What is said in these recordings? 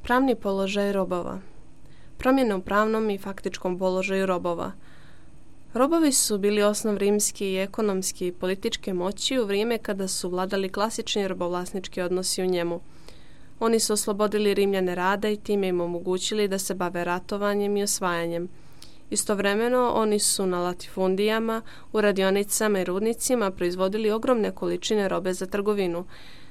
Pravni položaj robova. Promjene u pravnom i faktičkom položaju robova. Robovi su bili osnov rimske i ekonomske i političke moći u vrijeme kada su vladali klasični robovlasnički odnosi u njemu. Oni su oslobodili Rimljane rada i time im omogućili da se bave ratovanjem i osvajanjem. Istovremeno, oni su na latifundijama, u radionicama i rudnicima proizvodili ogromne količine robe za trgovinu.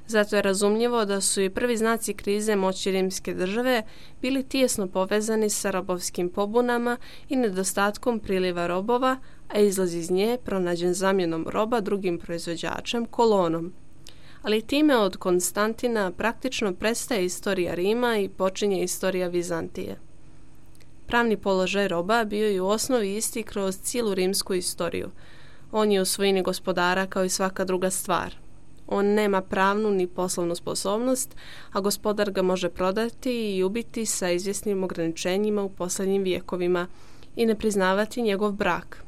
Zato je razumljivo da su i prvi znaci krize moći rimske države bili tijesno povezani sa robovskim pobunama i nedostatkom priliva robova, a izlaz iz nje pronađen zamjenom roba drugim proizvođačem, kolonom. Ali time od Konstantina praktično prestaje istorija Rima i počinje istorija Vizantije. Pravni položaj roba bio je u osnovi isti kroz cijelu rimsku istoriju. On je u svojini gospodara kao i svaka druga stvar. On nema pravnu ni poslovnu sposobnost, a gospodar ga može prodati i ubiti sa izvjesnim ograničenjima u posljednjim vijekovima i ne priznavati njegov brak.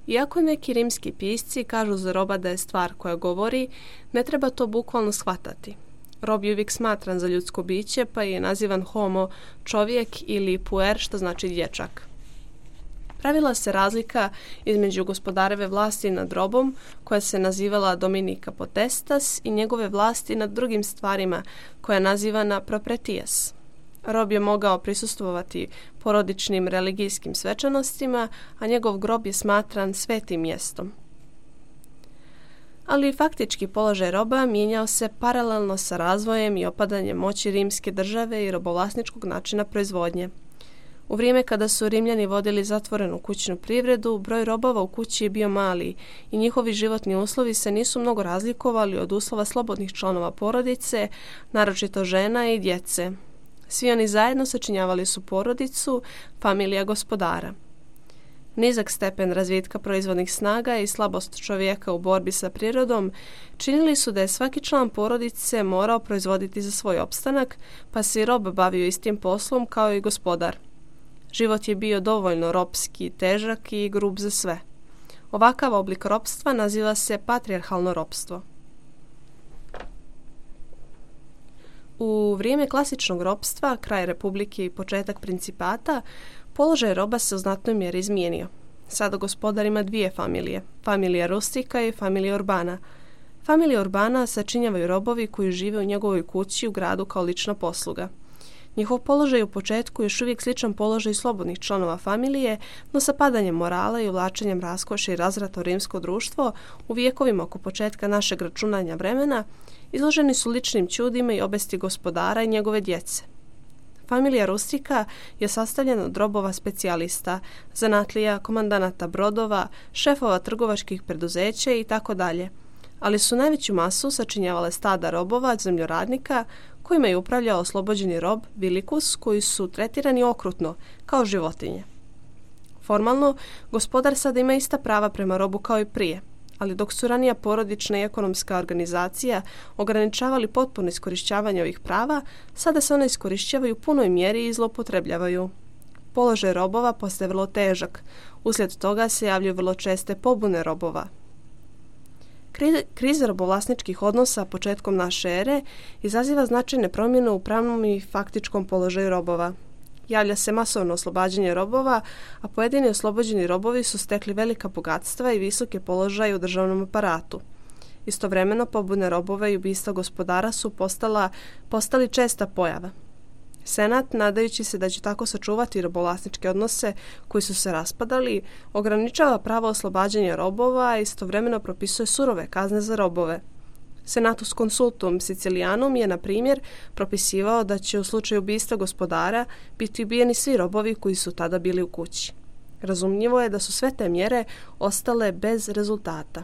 Iako neki rimski pisci kažu za roba da je stvar koja govori, ne treba to bukvalno shvatati. Rob je uvijek smatran za ljudsko biće, pa je nazivan homo, čovjek, ili puer, što znači dječak. Pravila se razlika između gospodareve vlasti nad robom, koja se nazivala dominica potestas, i njegove vlasti nad drugim stvarima, koja je nazivana proprietas. Rob je mogao prisustvovati porodičnim religijskim svečanostima, a njegov grob je smatran svetim mjestom. Ali faktički položaj roba mijenjao se paralelno sa razvojem i opadanjem moći rimske države i robovlasničkog načina proizvodnje. U vrijeme kada su Rimljani vodili zatvorenu kućnu privredu, broj robova u kući je bio mali i njihovi životni uslovi se nisu mnogo razlikovali od uslova slobodnih članova porodice, naročito žena i djece. Svi oni zajedno sačinjavali su porodicu, familija gospodara. Nizak stepen razvitka proizvodnih snaga i slabost čovjeka u borbi sa prirodom činili su da je svaki član porodice morao proizvoditi za svoj opstanak, pa se i rob bavio istim poslom kao i gospodar. Život je bio dovoljno ropski, težak i grub za sve. Ovakav oblik ropstva naziva se patrijarhalno ropstvo. U vrijeme klasičnog ropstva, kraj republike i početak principata, položaj roba se u znatnoj mjeri izmijenio. Sada gospodar ima dvije familije, familija rustika i familija urbana. Familija urbana sačinjavaju robovi koji žive u njegovoj kući u gradu kao lična posluga. Njihov položaj u početku je još uvijek sličan položaju slobodnih članova familije, no sa padanjem morala i uvlačenjem raskoša i razvrata u rimsko društvo u vijekovima oko početka našeg računanja vremena izloženi su ličnim čudima i obesti gospodara i njegove djece. Familija rustika je sastavljena od robova specijalista, zanatlija, komandanata brodova, šefova trgovačkih preduzeća i tako dalje, ali su najveću masu sačinjavale stada robova, zemljoradnika, kojima je upravljao oslobođeni rob Vilikus, koji su tretirani okrutno, kao životinje. Formalno, gospodar sada ima ista prava prema robu kao i prije, ali dok su ranija porodična i ekonomska organizacija ograničavali potpuno iskorišćavanje ovih prava, sada se one iskorišćavaju u punoj mjeri i zloupotrebljavaju. Položaj robova postaje vrlo težak, uslijed toga se javljaju vrlo česte pobune robova. Kriza robovlasničkih odnosa početkom naše ere izaziva značajne promjene u pravnom i faktičkom položaju robova. Javlja se masovno oslobađanje robova, a pojedini oslobođeni robovi su stekli velika bogatstva i visoke položaje u državnom aparatu. Istovremeno pobune robova i ubistva gospodara su postali česta pojava. Senat, nadajući se da će tako sačuvati robovlasničke odnose koji su se raspadali, ograničava pravo oslobađanja robova, a istovremeno propisuje surove kazne za robove. Senatus Consultum Sicilianum je, na primjer, propisivao da će u slučaju ubistva gospodara biti ubijeni svi robovi koji su tada bili u kući. Razumljivo je da su sve te mjere ostale bez rezultata.